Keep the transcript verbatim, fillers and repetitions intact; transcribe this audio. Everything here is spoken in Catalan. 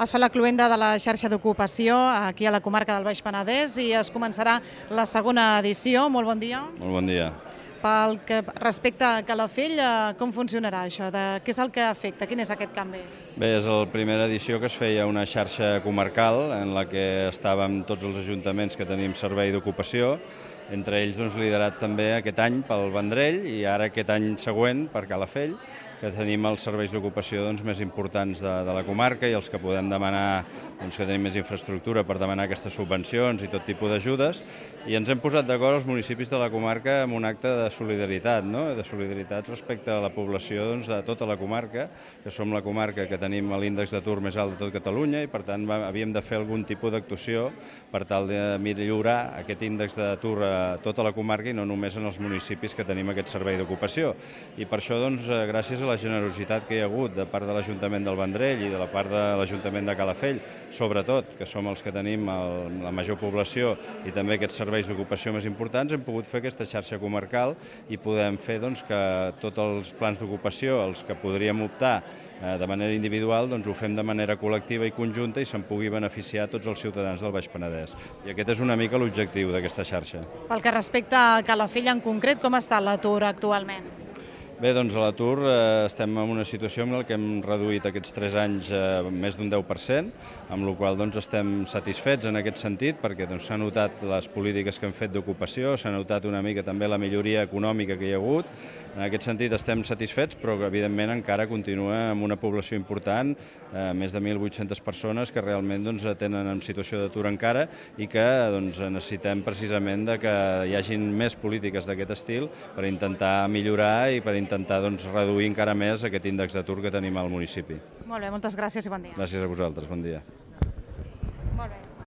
Es fa la cloenda de la xarxa d'ocupació aquí a la comarca del Baix Penedès i es començarà la segona edició. Molt bon dia. Molt bon dia. Pel que respecta a Calafell, com funcionarà això? De què és el que afecta? Quin és aquest canvi? Bé, és la primera edició que es feia una xarxa comarcal en la que estàvem tots els ajuntaments que tenim servei d'ocupació, entre ells doncs, liderat també aquest any pel Vendrell i ara aquest any següent per Calafell, que tenim els serveis d'ocupació doncs, més importants de, de la comarca i els que podem demanar, doncs, que tenim més infraestructura per demanar aquestes subvencions i tot tipus d'ajudes. I ens hem posat d'acord els municipis de la comarca amb un acte de solidaritat, no? de solidaritat respecte a la població doncs, de tota la comarca, que som la comarca que tenim l'índex d'atur més alt de tot Catalunya i per tant va, havíem de fer algun tipus d'actuació per tal de millorar aquest índex d'atur a tota la comarca i no només en els municipis que tenim aquest servei d'ocupació. I per això, doncs, gràcies a la generositat que hi ha hagut de part de l'Ajuntament del Vendrell i de la part de l'Ajuntament de Calafell, sobretot, que som els que tenim el, la major població i també aquests serveis d'ocupació més importants, hem pogut fer aquesta xarxa comarcal i podem fer doncs, que tots els plans d'ocupació, els que podríem optar eh, de manera individual, doncs ho fem de manera col·lectiva i conjunta i se'n pugui beneficiar tots els ciutadans del Baix Penedès. I aquest és una mica l'objectiu d'aquesta xarxa. Pel que respecta a Calafell en concret, com està l'atur actualment? Bé, doncs a l'atur eh, estem en una situació en la que hem reduït aquests tres anys eh, més d'un deu per cent, amb la qual doncs, estem satisfets en aquest sentit perquè doncs, s'ha notat les polítiques que hem fet d'ocupació, s'ha notat una mica també la milloria econòmica que hi ha hagut. En aquest sentit estem satisfets, però que evidentment encara continua amb una població important, eh, més de mil vuit-centes persones que realment doncs, tenen en situació d'atur encara i que doncs, necessitem precisament de que hi hagin més polítiques d'aquest estil per intentar millorar i per intentar doncs, reduir encara més aquest índex d'atur que tenim al municipi. Molt bé, moltes gràcies i bon dia. Gràcies a vosaltres, bon dia.